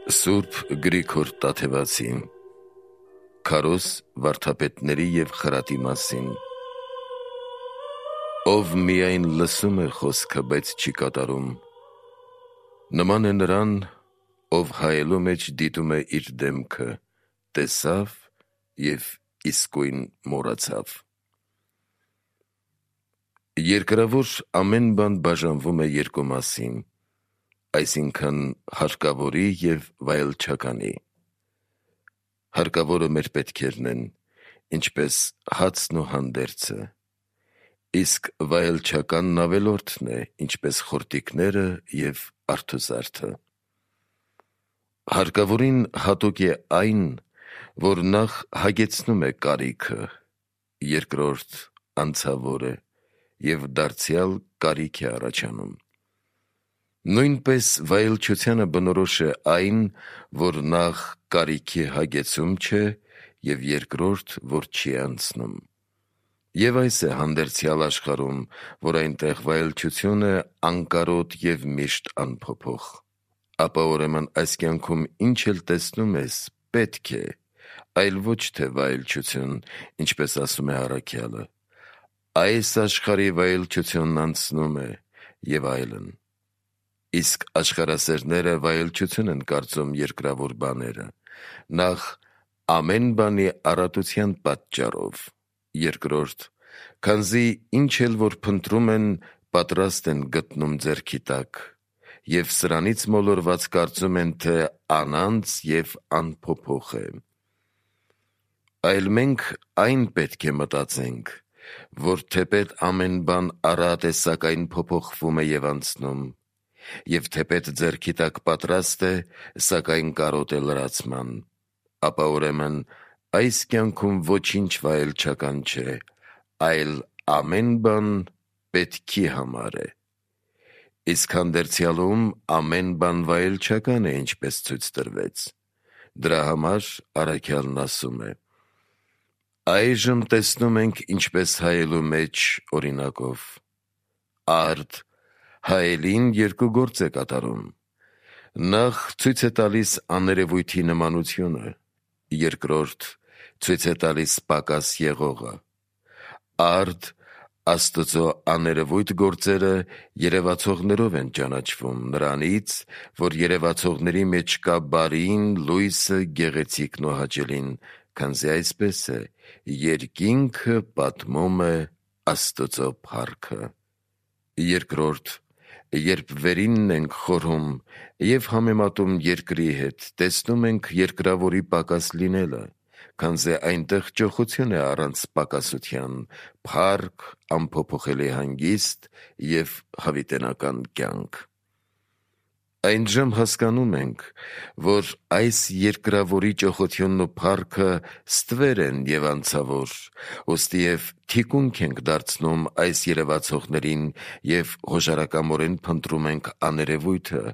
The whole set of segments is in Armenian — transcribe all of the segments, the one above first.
Սուրբ Գրիգոր Տաթևացին Քարոզ վարդապետների և խրատի մասին. Ով միայն լսում է խոսքը, բայց չի կատարում, նման է նրան, ով հայելու մեջ դիտում է իր դեմքը, տեսավ և իսկույն մոռացավ։ Երկրավոր ամեն բան բաժանվում է երկու մասին, այսինքն հարկավորի և վայելչականի։ Հարկավորը մեր պետքերն են, ինչպես հացն ու հանդերձը, իսկ վայելչականն ավելորդն է, ինչպես խորտիկները և արթուզարդը։ Հարկավորին հատուկ է այն, որ նախ հագեցնում է կարիքը, երկրորդ անցավոր է և դարձյալ կարիք է առաջանում։ Նույնպես վայելչությանը բնորոշ է այն, որ նախ կարիքի հագեցում չէ և երկրորդ, որ չի անցնում։ Եվ այս է հանդերձյալ աշխարհում, որ այնտեղ վայելչությունը անկարոտ և միշտ անփոփոխ։ Ապա ուրեմն այս կյանքում ինչ էլ տեսնում ես, պետք է, այլ ոչ թե վայելչություն, ինչպես ասում է առաքյալը, այս աշխարհի վայելչությունն անցնում է և այլն։ Իսկ աշխարհասերները վայելչություն են կարծում երկրավոր բաները, նախ ամեն բանի առատության պատճառով, երկրորդ, քանզի ինչ էլ որ փնտրում են, պատրաստ են գտնում ձեռքի տակ, և սրանից մոլորված կարծում են, թե անանց և անփոփոխ է։ Այլ մենք այն պետք է մտածենք, որ թեպետ ամեն բան առատ է, սակայն փոփոխվում է և անցնում, և թեպետ ձեռքի տակ պատրաստ է, սակայն կարոտ է լրացման, ապա ուրեմն այս կյանքում ոչինչ վայելչական չէ, այլ ամեն բան պետքի համար է։ Իսկ հանդերձյալում ամեն բան վայելչական է, ինչպես ցույց տրվեց։ Դրա համար առաքյալն ասում է. «Այժմ տեսնում ենք, ինչպես հայելու մեջ օրինակով. արդ հայելին երկու գործ է կատարում. նախ ցույց է տալիս աներևույթի նմանությունը, երկրորդ ցույց է տալիս պակաս եղողը։ Արդ Աստծո աներևույթ գործերը երևացողներով են ճանաչվում, նրանից, որ երևացողների մեջ կա բարին, լույսը, գեղեցիկն ու հաճելին, քանզի այսպես է. երկինքը պատմում է Աստծո փառքը։ Երկրորդ, երբ վերինն ենք խորհում և համեմատում երկրի հետ, տեսնում ենք երկրավորի պակաս լինելը, քանզի այնտեղ ճոխություն է առանց պակասության, փառք, անփոփոխելի հանգիստ և հավիտենական կյանք։ Այնժամ հասկանում ենք, որ այս երկրավորի ճոխությունն ու փառքը ստվեր են և անցավոր, ուստիև թիկունք ենք դարձնում այս երևացողներին և հոժարակամորեն փնտրում ենք աներևույթը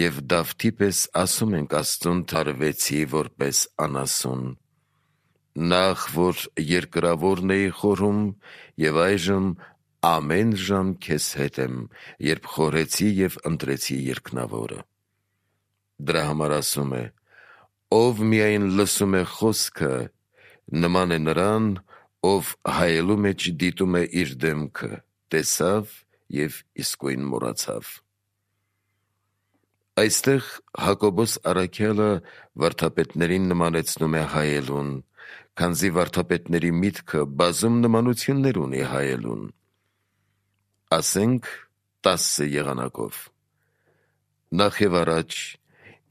և Դավթի պես ասում ենք Աստծուն, թե արվեցի որպես անասուն։ Նախ որ երկրավորն էի խորհում, և այժմ ամեն ժամ քեզ հետ եմ, երբ խորհեցի և ընտրեցի երկնավորը։ Դրա համար ասում է. ով միայն լսում է խոսքը, նման է նրան, ով հայելու մեջ դիտում է իր դեմքը, տեսավ և իսկույն մոռացավ։ Այստեղ Հակոբոս առաքյալը վարդապետներին նմանեցնում է հայելուն, քանզի վարդապետների միտքը բազում նմանություններ ունի հայելուն։ Ասենք 10 եղանակով. Նախ և առաջ,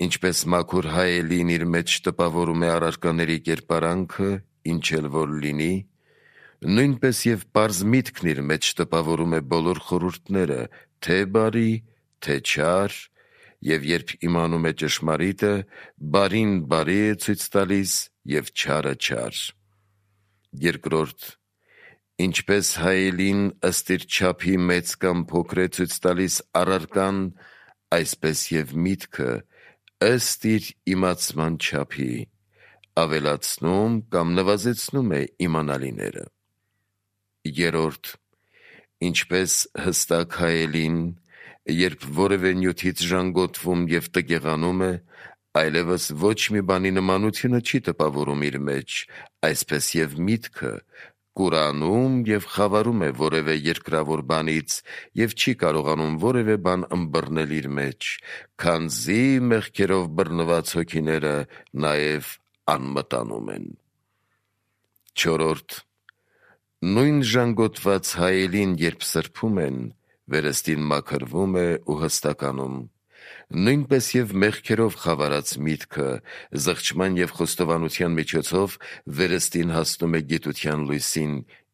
ինչպես մաքուր հայելին իր մեջ տպավորում է առարկաների կերպարանքը, ինչ էլ որ լինի, նույնպես և պարզ միտքն իր մեջ տպավորում է բոլոր խորհուրդները, թե բարի, թե չար, և երբ իմանում է ճշմարիտը, բարին բարի է ցույց տալիս և չարը չար։ Երկրորդ, ինչպես հայելին ըստ իր չափի մեծ կամ փոքր է ցույց տալիս առարկան, այսպես և միտքը ըստ իր իմացման չափի ավելացնում կամ նվազեցնում է իմանալիները։ Երրորդ, ինչպես հստակ հայելին, երբ որևէ նյութից ժանգոտվում և տգեղանում է, այլևս ոչ մի բանի նմանությունը չի տպավորում իր մեջ, այսպես և միտքը կուրանում և խավարում է որևէ երկրավոր բանից և չի կարողանում որևէ բան ըմբռնել իր մեջ, քանզի մեղքերով բռնված հոգիները նաև անմտանում են։ 4. Նույն ժանգոտված հայելին, երբ սրբում են, վերստին մաքրվում է ու հստականում, նույնպես և մեղքերով խավարած միտքը զղջման և խոստովանության միջոցով վերստին հասնում է գիտության լույսին,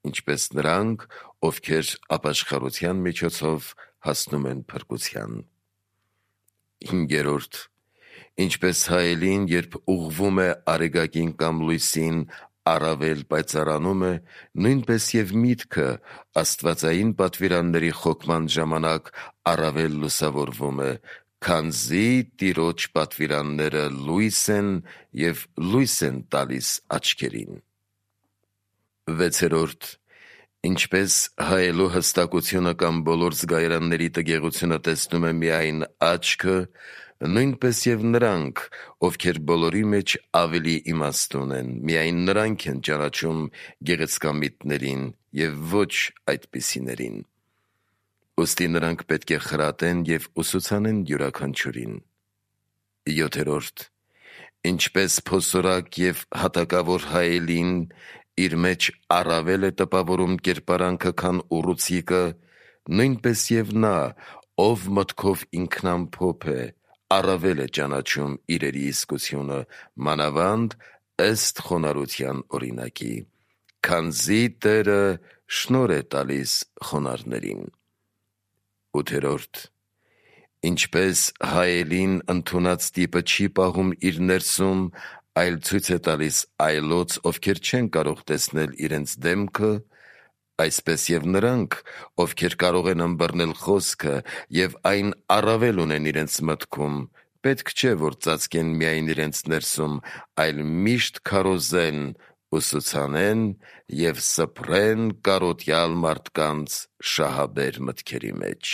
ինչպես նրանք, ովքեր ապաշխարության միջոցով հասնում են փրկության։ 5. Ինչպես հայելին, երբ ուղղվում է արեգակին կամ լույսին, առավել պայծառանում է, նույնպես և միտքը աստվածային պատվիրանների խոկման ժամանակ առավել լուսավորվում է, քանզի Տիրոջ պատվիրանները լույս են և լույս են տալիս աչքերին։ 6. Ինչպես հայելու հստակությունը կամ բոլոր զգայարանների տգեղությունը տեսնում է միայն աչքը, նույնպես և նրանք, ովքեր բոլորի մեջ ավելի իմաստուն են, միայն նրանք են ճանաչում գեղեցկամիտներին և ոչ այդպիսիներին։ Ուստի նրանք պետք է խրատեն և ուսուցանեն յուրաքանչյուրին։ 7. Ինչպես փոսորակ և հատակավոր հայելին իր մեջ առավել է տպավորում կերպարանքը, քան ուռուցիկը, նույնպես և նա, ով մտքով ինքնամփոփ է, առավել է ճանաչում իրերի իսկությունը, մանավանդ ըստ խոնարհության օրինակի, քանզի Տերը շնորհ է տալիս խոնարհներին։ 8. Ինչպես հայելին ընդունած տիպը չի պահում իր ներսում, այլ ցույց է տալիս այլոց, ովքեր չեն կարող տեսնել իրենց դեմքը, այսպես և նրանք, ովքեր կարող են ըմբռնել խոսքը և այն առավել ունեն իրենց մտքում, պետք չէ, որ ծածկեն միայն իրենց ներսում, այլ միշտ քարոզեն, ուսուցանեն և սփռեն կարոտյալ մարդկանց շահաբեր մտքերի մեջ։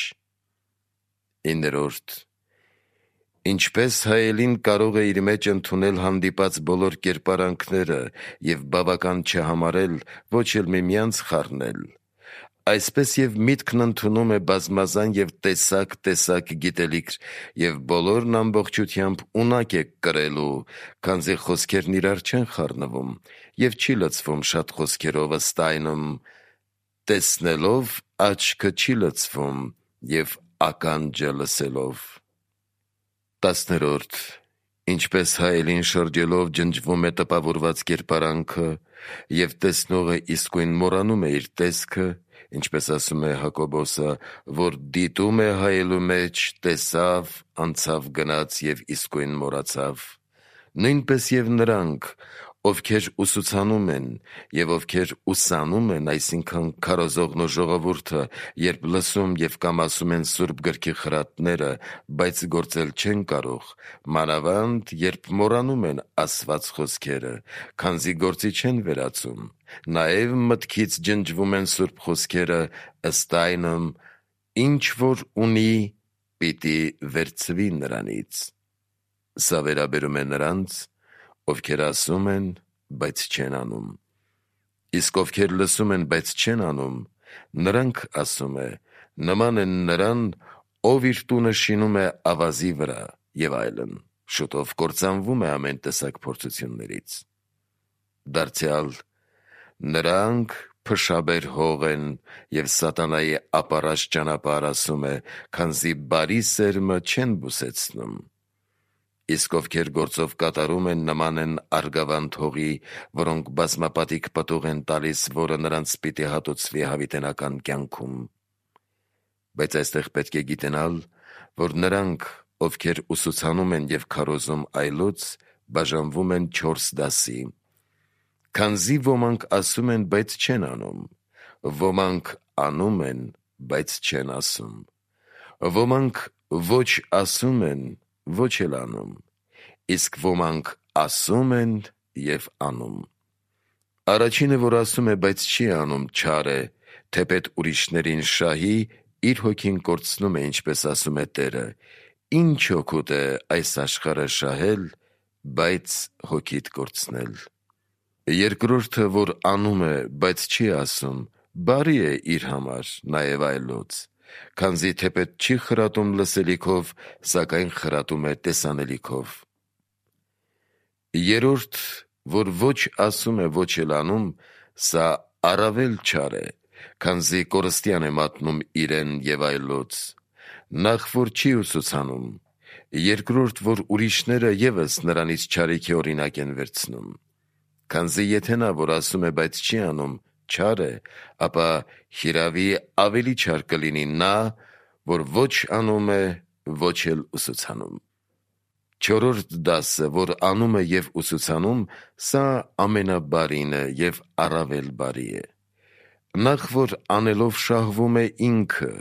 9. Ինչպես հայելին կարող է իր մեջ ընդունել հանդիպած բոլոր կերպարանքները և բավական չհամարել, ոչ էլ միմյանց խառնել, այսպես և միտքն ընդունում է բազմազան և տեսակ գիտելիք և բոլորն ամբողջությամբ ունակ է կրելու, քանզի խոսքերն իրար չեն խառնվում և չի լցվում շատ խոսքերով, ըստ այնմ. տեսնելով աչքը չի լցվում և ականջը լսելով։ 10. Ինչպես հայելին շրջելով ջնջվում է տպավորված կերպարանքը և տեսնողը իսկույն մոռանում է իր տեսքը, ինչպես ասում է Հակոբոսը, որ դիտում է հայելու մեջ, տեսավ, անցավ գնաց և իսկույն մոռացավ, նույնպես և նրանք, ովքեր ուսուցանում են և ովքեր ուսանում են, այսինքն քարոզողն ու ժողովուրդը, երբ լսում և կամ ասում են Սուրբ Գրքի խրատները, բայց գործել չեն կարող, մանավանդ երբ մոռանում են ասված խոսքերը, քանզի գործի չեն վերածում, նաև մտքից ջնջվում են Սուրբ խոսքերը, ըստ այնմ. ինչ որ ունի, պիտի վերցվի նրանից։ Սա վերաբերում է նրանց, ովքեր ասում են, բայց չեն անում։ Իսկ ովքեր լսում են, բայց չեն անում, նրանք, ասում է, նման են նրան, ով իր տունը շինում է ավազի վրա և այլն, շուտով կործանվում է ամեն տեսակ փորձություններից։ Դարձյալ նրանք փշաբեր հող են և սատանայի ապառած ճանապարհ, ասում է, քանզի բարի սերմը չեն բուսեցնում։ Իսկ ովքեր գործով կատարում են, նման են արգավանդ հողի, որոնք բազմապատիկ պտուղ են տալիս, որը նրանց պիտի հատուցվի հավիտենական կյանքում։ Բայց այստեղ պետք է գիտենալ, որ նրանք, ովքեր ուսուցանում են և քարոզում այլոց, բաժանվում են 4 դասի, քանզի ոմանք ասում են, բայց չեն անում, ոմանք անում են, բայց չեն ասում, ոմանք ոչ ասում են, ոչ էլ անում, իսկ ոմանք ասում են և անում։ Առաջինը, որ ասում է, բայց չի անում, չար է, թեպետ ուրիշներին շահի, իր հոգին կորցնում է, ինչպես ասում է Տերը. «Ինչ օգուտ է այս աշխարհը շահել բայց հոգիդ կորցնել։ Երկրորդը, որ անում է, բայց չի ասում, բարի է իր համար, նաև այլոց, քանզի թեպետ չի խրատում լսելիքով, սակայն խրատում է տեսանելիքով։ Երրորդ, որ ոչ ասում է, ոչ էլ անում, սա առավել չար է, քանզի կորստյան է մատնում իրեն և այլոց, նախ որ չի ուսուցանում, երկրորդ, որ ուրիշները ևս նրանից չարիքի օրինակ են վերցնում, քանզի եթե նա, որ ասում է, բայց չի անում, չար է, ապա հիրավի ավելի չար կլինի նա, որ ոչ անում է, ոչ էլ ուսուցանում։ Չորրորդ դասը, որ անում է և ուսուցանում, սա ամենաբարին է և առավել բարի է։ Նախ որ անելով շահվում է ինքը,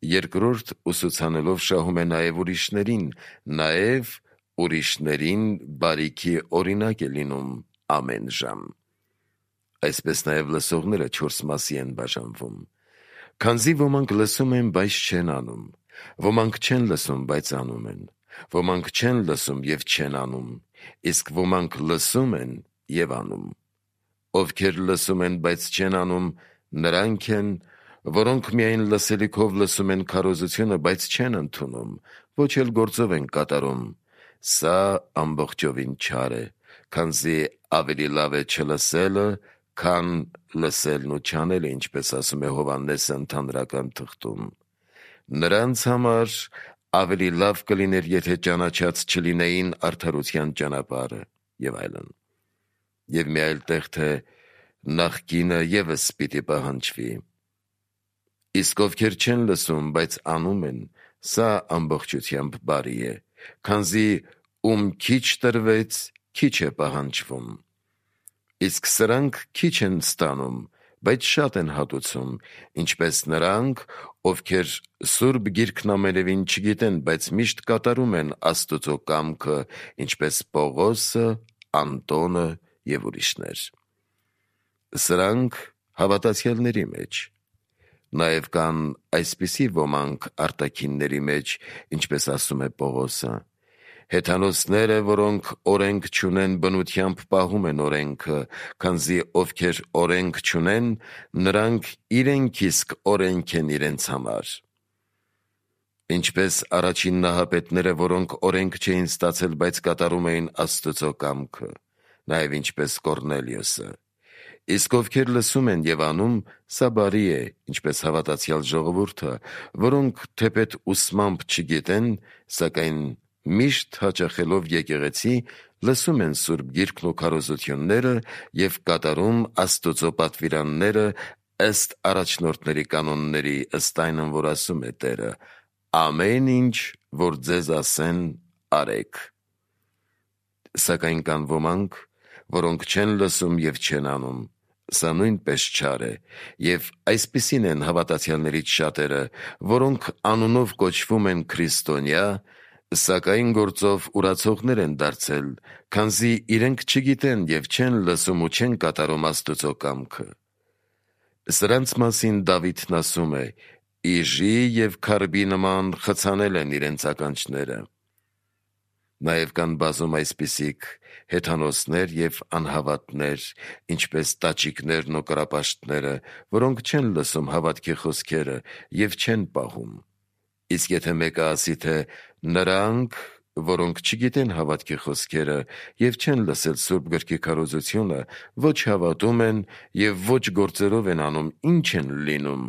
երկրորդ ուսուցանելով շահում է նաև ուրիշներին, նաև ուրիշներին բարիքի օրինակ է լինում ամեն ժամ։ Այսպես նաև լսողները 4 մասի են բաժանվում, քանզի ոմանք լսում են, բայց չեն անում, ոմանք չեն լսում, բայց անում են, ոմանք չեն լսում և չեն անում, իսկ ոմանք լսում են և անում։ Ովքեր լսում են, բայց չեն անում, նրանք են, որոնք միայն լսելիքով լսում են քարոզությունը, բայց չեն ընդունում, ոչ էլ գործով են կատարում, սա ամբողջովին չար է, քանզի ավելի լավ է չլսելը, քան լսելն ու չանելը, ինչպես ասում է Հովհաննեսը ընդհանրական թղթում։ Նրանց համար ավելի լավ կլիներ, եթե ճանաչած չլինեին արդարության ճանապարհը և այլն։ Եվ մի այլ տեղ, թե նախկինը ևս պիտի պահանջվի։ Իսկ ովքեր չեն լսում, բայց անում են, սա ամբողջությամբ բարի է, քանզի ում քիչ տրվեց, քիչ է պահանջվում։ Իսկ սրանք քիչ են ստանում, բայց շատ են հատուցում, ինչպես նրանք, ովքեր Սուրբ Գիրքն ամենևին չգիտեն, բայց միշտ կատարում են Աստծո կամքը, ինչպես Պողոսը, Անտոնը և ուրիշներ։ Սրանք հավատացյալների մեջ։ Նաև կան այսպիսի ոմանք արտաքինների մեջ, ինչպես ասում է Պողոսը, հեթանոսները, որոնք օրենք չունեն, բնությամբ պահում են օրենքը, քանզի ովքեր օրենք չունեն, նրանք իրենք իսկ օրենք են իրենց համար։ Ինչպես առաջին նահապետները, որոնք օրենք չէին ստացել, բայց կատարում էին Աստծո կամքը, նաև ինչպես Կորնելիոսը։ Իսկ ովքեր լսում են և անում, սա բարի է, ինչպես հավատացյալ ժողովուրդը, որոնք թեպետ ուսմամբ չգիտեն, սակայն միշտ հաճախելով եկեղեցի, լսում են Սուրբ Գիրքն ու քարոզությունները և կատարում Աստծո պատվիրանները ըստ առաջնորդների կանոնների, ըստ այն, որ ասում է Տերը. ամեն ինչ, որ ձեզ ասեն, արեք։ Սակայն կան ոմանք, որոնք չեն լսում և չեն անում, սա նույնպես չար է, և այսպիսին են հավատացյալներից շատերը, որոնք անունով կոչվում են քրիստոնյա, սակայն գործով ուրացողներ են դարձել, քանզի իրենք չգիտեն և չեն լսում ու չեն կատարում Աստծո կամքը։ Սրանց մասին Դավիթն ասում է. «Իժի և քարբի նման խցանել են իրենց ականջները»։ Նաև կան բազում այսպիսիք հեթանոսներ և անհավատներ, ինչպես տաճիկներն ու կռապաշտները, որոնք չեն լսում հավատքի խոսքերը և չեն պահում։ Իսկ եթե մեկը ասի, թե նրանք, որոնք չգիտեն հավատքի խոսքերը և չեն լսել Սուրբ Գրքի քարոզությունը, ոչ հավատում են և ոչ գործերով են անում, ինչ են լինում,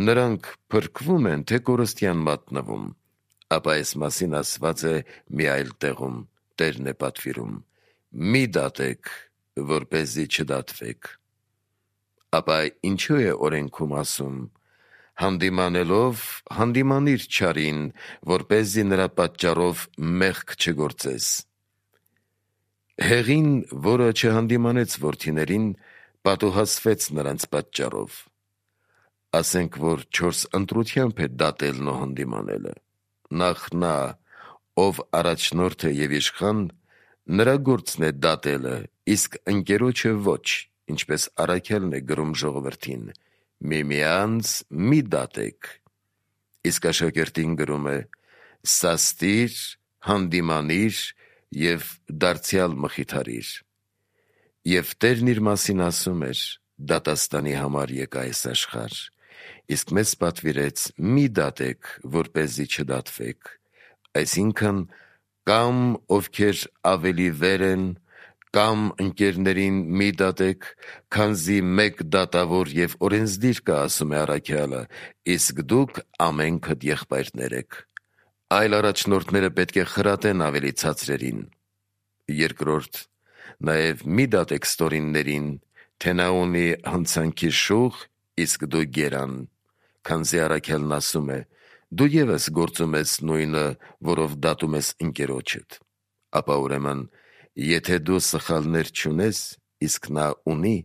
նրանք փրկվում են, թե կորստյան մատնվում, ապա այս մասին ասված է մի այլ տեղում, Տերն է պատվիրում. «Մի դատեք, որպեսզի չդատվեք»։ Ապա ինչու է օրենքում ասում. «Հանդիմանելով հանդիմանիր չարին, որպեսզի նրա պատճառով մեղք չգործես»։ Հեղին, որը չհանդիմանեց որդիներին, պատուհասվեց նրանց պատճառով։ Ասենք, որ 4 ընտրությամբ է դատելն ու հանդիմանելը։ Նախ նա, ով առաջնորդ է և իշխան, նրա գործն է դատելը, իսկ ընկերոջը ոչ, ինչպես առաքյալն է գրում ժողովրդին. «Միմյանց մի դատեք»։ Իսկ աշակերտին գրում է. «Սաստիր, հանդիմանիր, և դարձյալ մխիթարիր։ Եվ Տերն իր մասին ասում էր. դատաստանի համար եկա այս աշխարհ, իսկ մեզ պատվիրեց մի դատեք, որպեսզի չդատվեք, այսինքն կամ ովքեր ավելի վեր են, կամ ընկերներին մի դատեք, քանզի մեկ դատավոր և օրենսդիր կա, ասում է առաքյալը, իսկ դուք ամենքդ եղբայրներ եք։ Այլ առաջնորդները պետք է խրատեն ավելի ցածրերին։ Երկրորդ, նաև մի դատեք ստորիններին, թե նա ունի հանցանքի շուխ, իսկ դու գերան, քանզի առաքյալն ասում է. դու ևս գործում ես նույնը, որով դատում ես ընկերոջդ։ Ապա ուրեմն, եթե դու սխալներ չունես, իսկ նա ունի,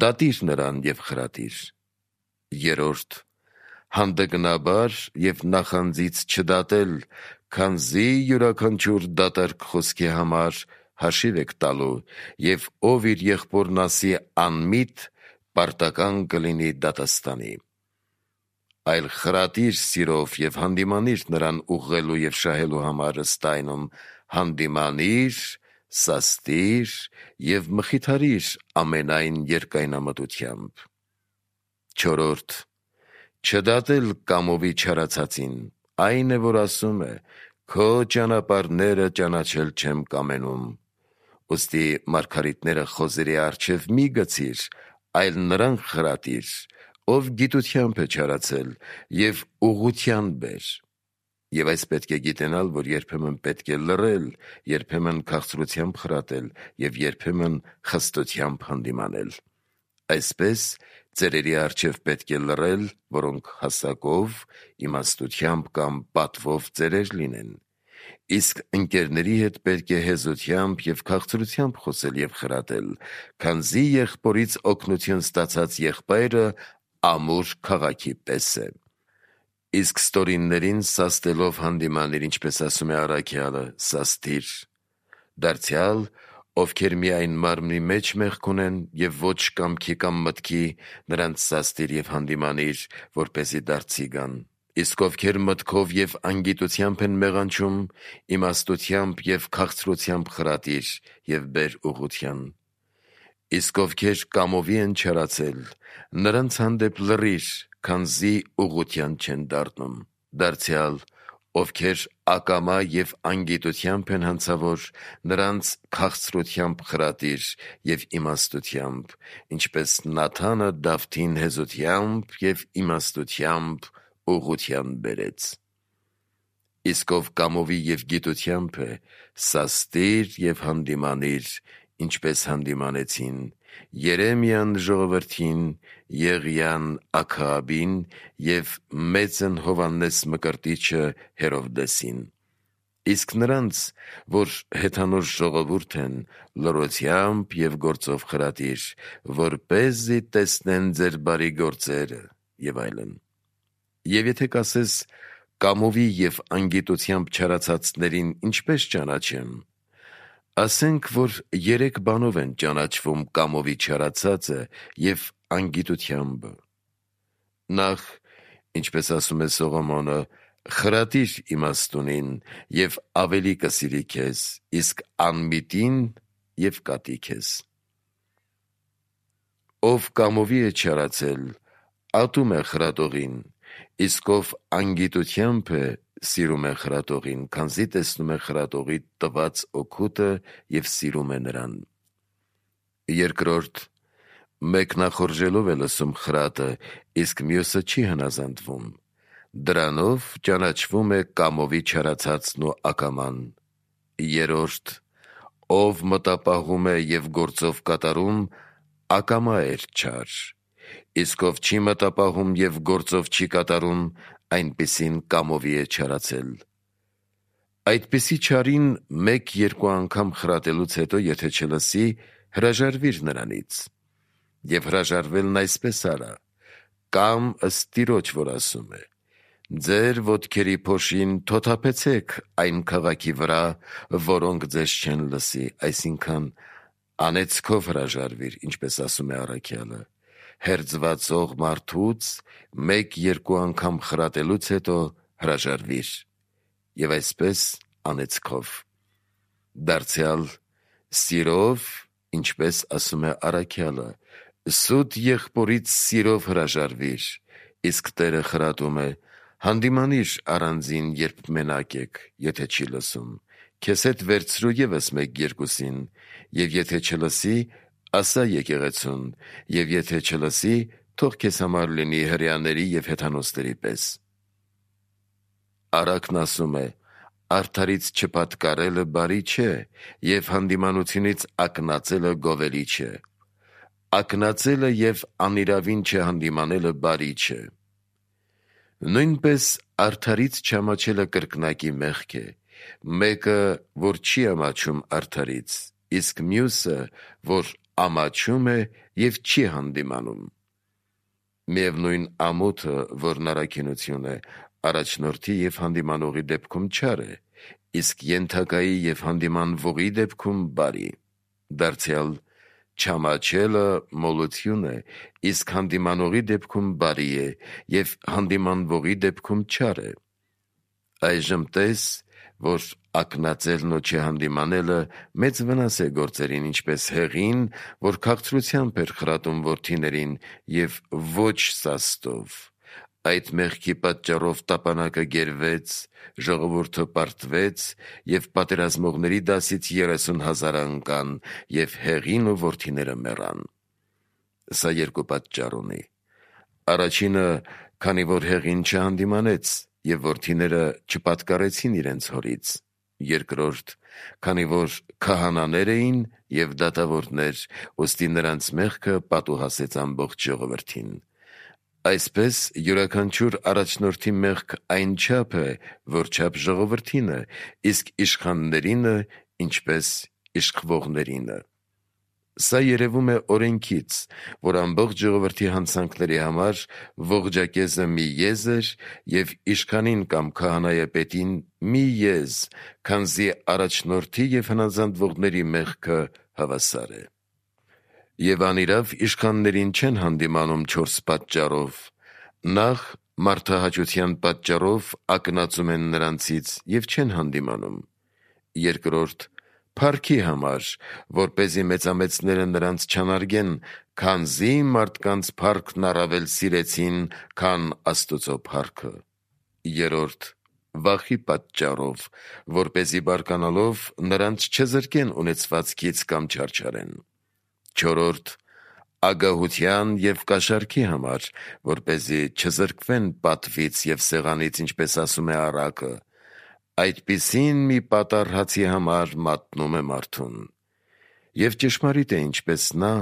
դատիր նրան և խրատիր։ Երրորդ, հանդգնաբար և նախանձից չդատել, քանզի յուրաքանչյուր դատարկ խոսքի համար հաշիվ եք տալու, և ով իր եղբորն ասի անմիտ, պարտական կլինի դատաստանի։ Այլ խրատիր սիրով և հանդիմանիր նրան ուղղելու և շահելու համար ըստ այնում, հանդիմանիր, սաստիր և մխիթարիր ամենայն երկայնամտությամբ։ Չորրորդ, չդատել կամովի չարացածին, այն է, որ ասում է. քո ճանապարհները ճանաչել չեմ կամենում։ Ուստի մարգարիտները խոզերի առջև մի գցիր, այլ նրան խրատիր, ով գիտությամբ է չարացել, և ուղղության բեր։ Եվ այս պետք է գիտենալ, որ երբեմն պետք է լռել, երբեմն քաղցրությամբ խրատել և երբեմն խստությամբ հանդիմանել։ Այսպես ծերերի առջև պետք է լռել, որոնք հասակով, իմաստությամբ կամ պատվով ծերեր լինեն, իսկ ընկերների հետ պետք է հեզությամբ և քաղցրությամբ խոսել և խրատել, քանզի եղբորից օգնություն ստացած եղբայրը ամուր քաղաքի պես է։ Իսկ ստորիններին սաստելով հանդիմանիր, ինչպես ասում է առաքյալը, սաստիր։ Դարձյալ, ովքեր միայն մարմնի մեջ մեղք ունեն և ոչ կամքի կամ մտքի, նրանց սաստիր և հանդիմանիր, որպեսզի դարձի գան։ Իսկ ովքեր մտքով և անգիտությամբ են մեղանչում, իմաստությամբ և քաղցրությամբ խրատիր և բեր ուղղության։ Իսկ ովքեր կամովի են չարացել, նրանց հանդեպ լռիր, քանզի ուղղության չեն դառնում։ Դարձյալ, ովքեր ակամա և անգիտությամբ են հանցավոր, նրանց քաղցրությամբ խրատիր և իմաստությամբ, ինչպես Նաթանը Դավթին հեզությամբ և իմաստությամբ ուղղության բերեց։ Իսկ ով կամովի և գիտությամբ է, սաստիր և հանդիմանիր, ինչպես հանդիմանեցին Երեմիան ժողովրդին, Եղիան Աքաբին և մեծն Հովհաննես Մկրտիչը Հերովդեսին։ Իսկ նրանց, որ հեթանոս ժողովուրդ են, լռությամբ և գործով խրատիր, որպեսզի տեսնեն ձեր բարի գործերը և այլն։ Եվ եթե կասես. կամովի և անգիտությամբ չարացածներին ինչպես ճանաչեմ, ասենք, որ երեք բանով են ճանաչվում կամովի չարացածը և անգիտությամբ. Նախ, ինչպես ասում է Սողոմոնը, խրատիր իմաստունին և ավելի կսիրի քեզ, իսկ անմիտին և կատի քեզ։ Ով կամովի է չարացել, ատում է խրատողին, իսկ ով անգիտությամբ է, սիրում է խրատողին, քանզի տեսնում է խրատողի տված օգուտը և սիրում է նրան։ Երկրորդ, մեկն ախորժելով է լսում խրատը, իսկ մյուսը չի հնազանդվում, դրանով ճանաչվում է կամովի չարացածն ու ակաման։ Երրորդ, ով մտապահում է և գործով կատարում, ակամա է չար, իսկ ով չի մտապահում և գործով չի կատարում, այնպիսին կամովի է չարացել։ Այդպիսի չարին մեկ-երկու անգամ խրատելուց հետո, եթե չլսի, հրաժարվիր նրանից։ Եվ հրաժարվելն այսպես արա. կամ ըստ Տիրոջ, որ ասում է. ձեր ոտքերի փոշին թոթափեցեք այն քաղաքի վրա, որոնք ձեզ չեն լսի, այսինքն անեծքով հրաժարվիր, ինչպես ասում է առաքյալը, հերձվածող մարդուց մեկ-երկու անգամ խրատելուց հետո հրաժարվիր, և այսպես անեծքով։ Դարձյալ սիրով, ինչպես ասում է առաքյալը, սուտ եղբորից սիրով հրաժարվիր, իսկ Տերը խրատում է, հանդիմանիր առանձին, երբ մենակ եք, եթե չի լսում, քեզ հետ վերցրու ևս մեկ-երկուսին, և եթե չլսի, ասա եկեղեցուն, և եթե չլսի, թող քեզ համար լինի հրեաների և հեթանոսների պես։ Առակն ասում է. արդարից չպատկարելը բարի չէ, և հանդիմանությունից ակնածելը գովելի չէ։ Ակնածելը և անիրավին չհանդիմանելը բարի չէ։ Նույնպես արդարից չամաչելը կրկնակի մեղք է, մեկը, որ չի ամաչում արդարից, իսկ մյուսը, որ ամաչում է և չի հանդիմանում։ Միևնույն ամոթը, որն առաքինություն է, առաջնորդի և հանդիմանողի դեպքում չար է, իսկ ենթակայի և հանդիմանվողի դեպքում բարի։ Դարձյալ չամաչելը մոլություն է, իսկ հանդիմանողի դեպքում բարի է և հանդիմանվողի դեպքում չար է։ Այժմ տես, որ ակնածելն ու չհանդիմանելը մեծ վնաս է գործերին, ինչպես հեղին, որ քաղցրությամբ էր խրատում որդիներին և ոչ սաստով։ Այդ մեղքի պատճառով տապանակը գերվեց, ժողովուրդը պարտվեց և պատերազմողների դասից 30,000 ընկան և հեղին ու որդիները մեռան։ Սա երկու պատճառ ունի. առաջինը, քանի որ հեղին չհանդիմանեց և որդիները չպատկառեցին իրենց հորից. երկրորդ, քանի որ քահանաներ էին և դատավորներ, ուստի նրանց մեղքը պատուհասեց ամբողջ ժողովրդին։ Այսպես յուրաքանչյուր առաջնորդի մեղք այնչափ է, որչափ ժողովրդինը, իսկ իշխաններինը, ինչպես իշխվողներինը։ Սա երևում է օրենքից, որ ամբողջ ժողովրդի հանցանքների համար ողջակեզը մի եզ էր և իշխանին կամ քահանայապետին մի եզ, քանզի առաջնորդի և հնազանդվողների մեղքը հավասար է։ Եվ անիրավ իշխաններին չեն հանդիմանում 4 պատճառով. նախ, մարդահաճության պատճառով ակնածում են նրանցից և չեն հանդիմանում. երկրորդ, փառքի համար, որպեսզի մեծամեծները նրանց չանարգեն, քանզի մարդկանց փառքն առավել սիրեցին, քան Աստուծո փառքը. երրորդ, վախի պատճառով, որպեսզի բարկանալով նրանց չզրկեն ունեցվածքից կամ չարչարեն. չորրորդ, ագահության և կաշառքի համար, որպեսզի չզրկվեն պատվից և սեղանից, ինչպես ասում է առակը. այդպիսին մի պատառ հացի համար մատնում է մարդուն։ Եվ ճշմարիտ է, ինչպես նա,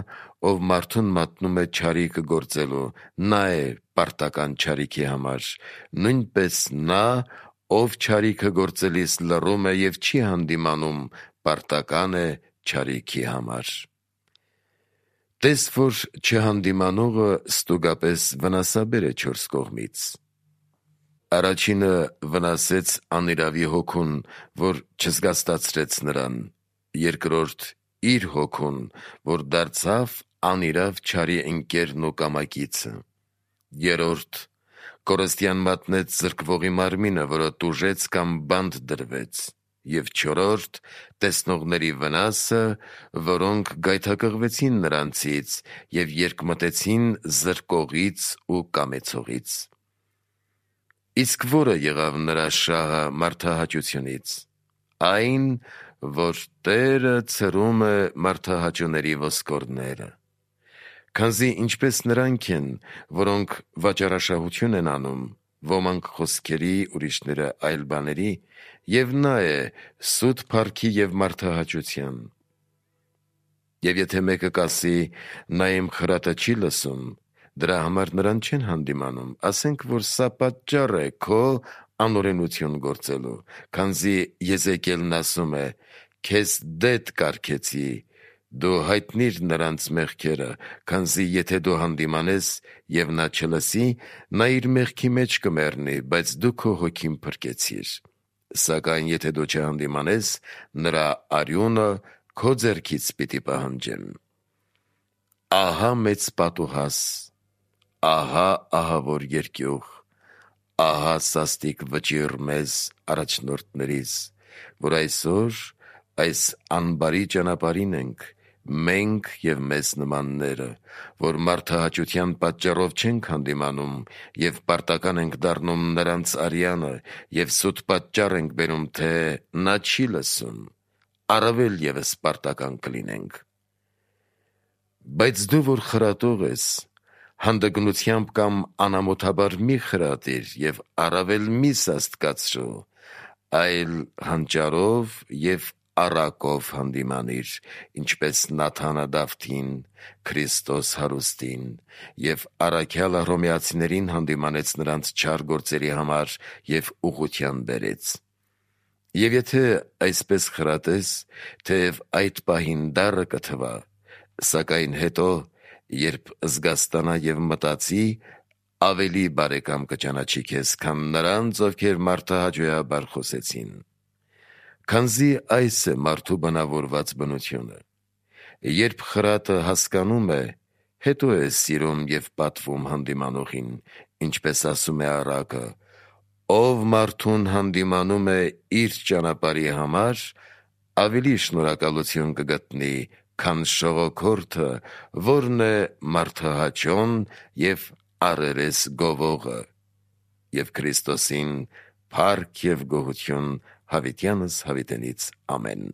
ով մարդուն մատնում է չարիքը գործելու, նա է պարտական չարիքի համար, նույնպես նա, ով չարիքը գործելիս լռում է և չի հանդիմանում, պարտական է չարիքի համար։ Տես, որ չհանդիմանողը ստուգապես վնասաբեր է 4 կողմից. առաջինը վնասեց անիրավի հոգուն, որ չզգաստացրեց նրան. երկրորդ, իր հոգուն, որ դարձավ անիրավ չարի ընկերն ու կամակիցը. երրորդ, կորստյան մատնեց զրկվողի մարմինը, որը տուժեց կամ բանտ դրվեց, և չորրորդ, տեսնողների վնասը, որոնք գայթակղվեցին նրանցից և երկմտեցին զրկողից ու կամեցողից։ Իսկ ո՞րը եղավ նրա շահը մարդահաճությունից։ Այն, որ Տերը ցրում է մարդահաճուների ոսկորները։ Քանզի ինչպես նրանք են, որոնք վաճառաշահություն են անում, ոմանք խոսքերի, ուրիշները այլ բաների, և նա է սուտ փառքի և մարդահաճության։ Եվ եթե մեկը կասի. նա իմ խրատը չի լսում, դրա համար նրան չեն հանդիմանում, ասենք, որ սա պատճառ է քո անօրենություն գործելու, քանզի Եզեկիելն ասում է. քեզ դետ կարգեցի, դու հայտնիր նրանց մեղքերը, քանզի եթե դու հանդիմանես և նա չլսի, նա իր մեղքի մեջ կմեռնի, բայց դու քո հոգին փրկեցիր, սակայն եթե դու չհանդիմանես, նրա արյունը քո ձեռքից պիտի պահանջեմ։ Ահա մեծ պատուհաս, ահա ահավոր երկյուղ, ահա սաստիկ վճիռ մեզ առաջնորդներիս, որ այսօր այս անբարի ճանապարհին ենք մենք եւ մեզ նմանները, որ մարդահաճության պատճառով չենք հանդիմանում եւ պարտական ենք դառնում նրանց արյանը եւ սուտ պատճառ ենք բերում, թե նա չի լսում, առավել եւս պարտական կլինենք։ Բայց դու, որ խրատող ես, հանդգնությամբ կամ անամոթաբար մի խրատիր եւ առավել մի սաստկացրու, այլ հանճարով եւ առակով հանդիմանիր, ինչպես Նաթանը Դավթին, Քրիստոս հարուստին, եւ առաքյալ Հռոմեացիներին հանդիմանեց նրանց չար գործերի համար եւ ուղղության բերեց։ Եվ եթե այսպես խրատես, թեև այդ պահին դառը կթվա, սակայն հետո, երբ զգաստանա եւ մտածի, ավելի բարեկամ կճանաչի քեզ, քան նրանց, ովքեր մարդահաճոյաբար խոսեցին։ Քանզի այս է մարդու բնավորված բնությունը։ Երբ խրատը հասկանում է, հետո է սիրում եւ պատվում հանդիմանողին, ինչպես ասում է առակը. ով մարդուն հանդիմանում է իր ճանապարհի համար, ավելի շնորհակալություն կգտնի, քան շողոքորթը, որն է մարդահաճոն եւ առերես գովողը։ Եվ Քրիստոսին փառք եւ գոհություն հավիտյանս հավիտենից ամեն։